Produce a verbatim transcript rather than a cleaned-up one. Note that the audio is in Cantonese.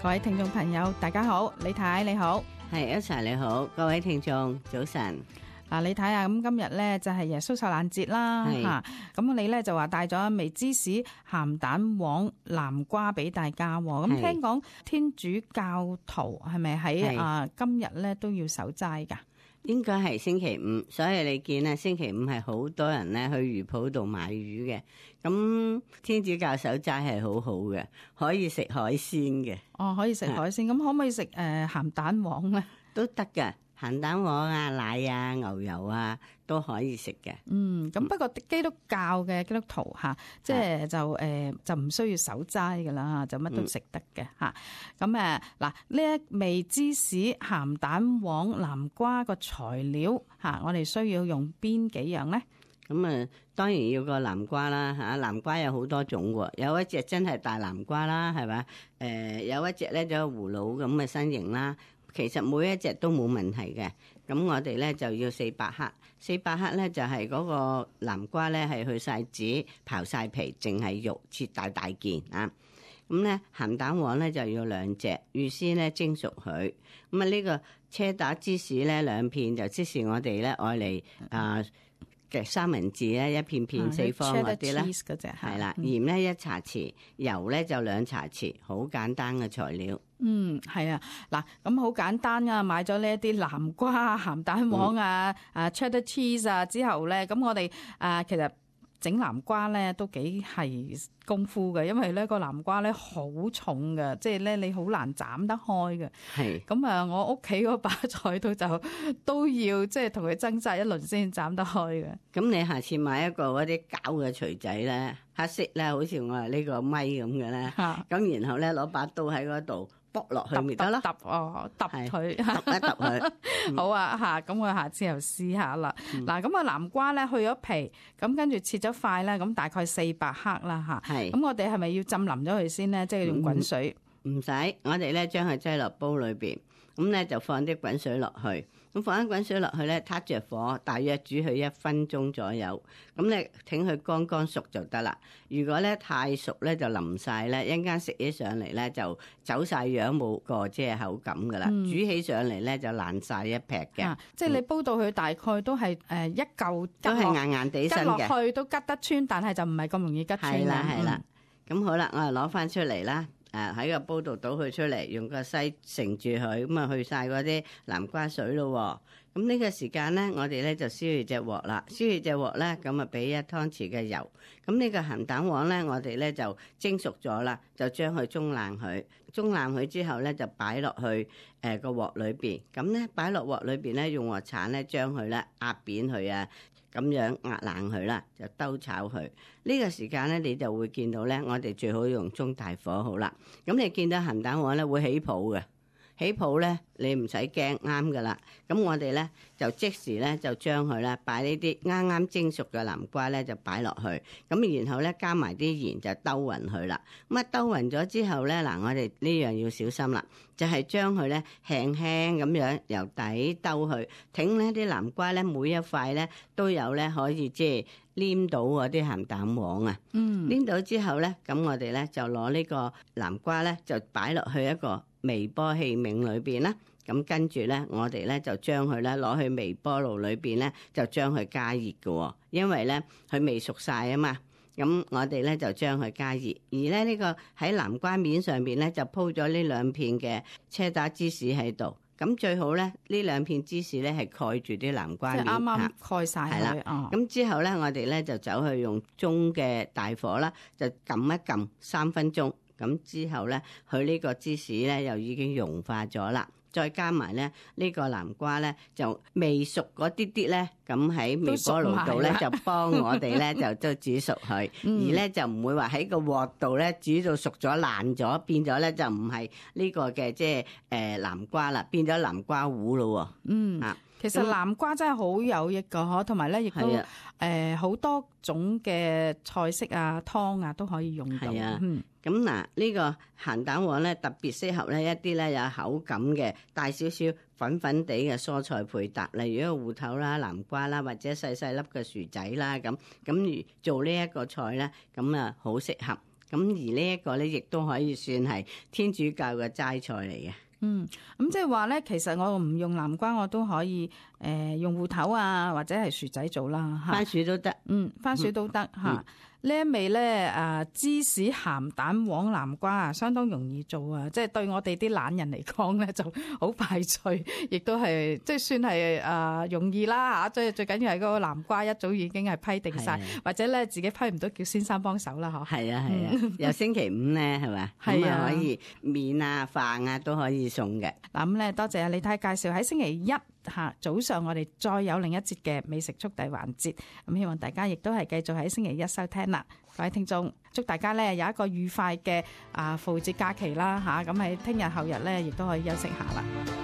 各位聽眾朋友大家好，李太你好。係Elsa你好，各位聽眾早晨。嗱，你睇下咁今日咧就係耶穌受難節啦吓，咁你咧就話帶咗一味芝士、鹹蛋黃、南瓜俾大家。咁聽講天主教徒係咪喺啊今日咧都要守齋噶？應該係星期五，所以你見咧星期五係好多人咧去魚鋪度買魚嘅。咁天主教守齋係好好嘅，可以食海鮮嘅。哦，可以食海鮮，咁可唔可以食誒鹹蛋黃咧？都得㗎。鹹蛋黃啊、奶啊、牛油啊都可以食嘅。嗯，咁不過基督教嘅基督徒吓，即係就誒、呃、就唔需要守齋噶啦，就乜都食得嘅吓。咁誒嗱，呢一味芝士、鹹蛋黃、南瓜個材料吓，我哋需要用邊幾樣咧？咁啊，當然要個南瓜啦吓，南瓜有好多種喎，有一隻真係大南瓜啦，係咪？誒、呃，有一隻咧就葫蘆咁嘅身形啦。其實每一隻都冇問題嘅，咁我哋咧就要四百克，四百克咧就係嗰個南瓜咧係去晒籽、刨晒皮，淨係肉切大大件啊。咁咧鹹蛋黃咧就要兩隻，預先咧蒸熟佢。咁啊呢個車打芝士咧兩片，就即是我哋咧愛嚟啊嘅三文治咧一片片四方嗰啲啦，係啦，鹽咧一茶匙，油咧就兩茶匙，好簡單嘅材料。嗯，係啊，嗱，咁好簡單啊，買咗呢一啲南瓜、鹹蛋黃啊、嗯、啊 cheddar cheese 啊之後咧，咁我哋啊其實整南瓜咧都幾係功夫嘅，因為咧個南瓜咧好重嘅，即係咧你好難斬得開嘅。係咁啊，我屋企嗰把菜刀就都要即係同佢掙扎一輪先斬得開嘅。咁你下次買一個嗰啲膠嘅錘仔咧，黑色咧，好似我呢個咪咁嘅咧，咁、啊、然後咧攞把刀喺嗰度剝落去咪得咯，揼哦揼佢，揼一揼佢。好啊吓，咁我下次又試下啦。嗱、嗯，咁啊南瓜咧去咗皮，咁跟住切咗塊咧，咁大概四百克啦吓。係，咁我哋係咪要浸腍咗佢先咧？即係用滾水？唔使，我哋咧將佢擠落煲裏邊，咁咧就放啲滾水落去。咁放啲滾水落去咧，撻着火，大約煮佢一分鐘左右。咁咧，挺佢乾乾熟就得啦。如果咧太熟咧，就腍晒咧，一陣間食起上嚟咧就走晒樣，冇個即係口感噶啦、嗯。煮起上嚟咧就爛晒一劈嘅、啊。即係你煲到佢大概都係誒一嚿，都係硬硬地身嘅，吉落去都吉得穿，但係就唔係咁容易吉穿。係啦係啦。咁、嗯、好啦，我就攞翻出嚟啦。誒喺個煲度倒佢出嚟，用個篩盛住佢，咁啊去晒嗰啲南瓜水咯。咁呢個時間咧，我哋咧就燒熱隻鑊啦。燒熱隻鑊咧，咁啊俾一湯匙嘅油。咁呢個鹹蛋黃咧，我哋咧就蒸熟咗啦，就將佢中爛佢。中爛佢之後咧，就擺落去誒個鑊裏邊。咁咧擺落鑊裏邊咧，用鑊鏟咧將佢咧壓扁佢啊。咁樣壓爛佢啦，就兜炒佢。呢個時間咧，你就會見到咧，我哋最好用中大火好啦。咁你見到鹹蛋黃咧會起泡嘅，起泡咧你唔使驚，啱噶啦。咁我哋咧就即時咧就將佢咧擺呢啲啱啱蒸熟嘅南瓜咧就擺落去，咁然後咧加埋啲鹽就兜勻佢啦。咁啊兜勻咗之後咧，嗱我哋呢樣要小心啦，就係將佢咧輕輕咁樣由底兜去，挺呢啲南瓜咧每一塊咧都有咧可以即係黏到嗰啲鹹蛋黃啊。嗯，黏到之後咧，咁我哋咧就攞呢個南瓜咧就擺落去一個微波器皿裏邊啦。咁跟住咧，我哋咧就將佢咧攞去微波爐裏邊咧，就將佢加熱嘅，因為咧佢未熟晒啊嘛。咁我哋咧就將佢加熱，而咧呢個喺南瓜面上邊咧就鋪咗呢兩片嘅車打芝士喺度。咁最好咧呢兩片芝士咧係蓋住啲南瓜面，即係啱啱蓋晒佢。係啦，咁之後咧我哋咧就走去用中嘅大火啦，就撳一撳三分鐘。咁之後咧，佢呢個芝士咧又已經融化咗啦。再加埋咧呢個南瓜咧就未熟嗰啲啲咧，咁喺微波爐度咧就幫我哋咧就都煮熟佢，而咧就唔會話喺個鑊度咧煮到熟咗爛咗，變咗咧就唔係呢個嘅即係誒南瓜啦，變咗南瓜糊咯。嗯啊。其實南瓜真係好有益噶，嗬，同埋咧亦都誒好多種嘅菜式啊、湯啊都可以用到。係啊，咁嗱呢個鹹蛋黃咧特別適合咧一啲咧有口感嘅帶少少粉粉地嘅蔬菜配搭，例如一個芋頭啦、南瓜啦，或者細細粒嘅薯仔啦，咁咁做呢一個菜咧，咁啊好適合。咁而呢一個咧，亦都可以算係天主教嘅齋菜嚟嘅。嗯，咁即係話咧，其實我唔用南瓜，我都可以誒、呃、用芋頭啊，或者係薯仔做啦。番薯都得，嗯，番薯都得嚇。嗯嗯呢一味咧，誒芝士鹹蛋黃南瓜啊，相當容易做啊！即係對我哋啲懶人嚟講咧，就好快脆，亦都係即係算係誒容易啦嚇。最最緊要係嗰個南瓜一早已經係批定晒，或者咧自己批唔到叫先生幫手啦嗬。係啊係啊，由星期五咧係咪？咁啊可以麵啊飯啊都可以送嘅。嗱咁咧，多謝阿李太介紹喺星期一嚇早上，我哋再有另一節嘅美食速遞環節。咁希望大家亦都係繼續喺星期一收聽啦。各位聽眾，祝大家咧有一個愉快嘅啊復活節假期啦嚇！咁喺聽日後日咧，亦都可以休息下啦。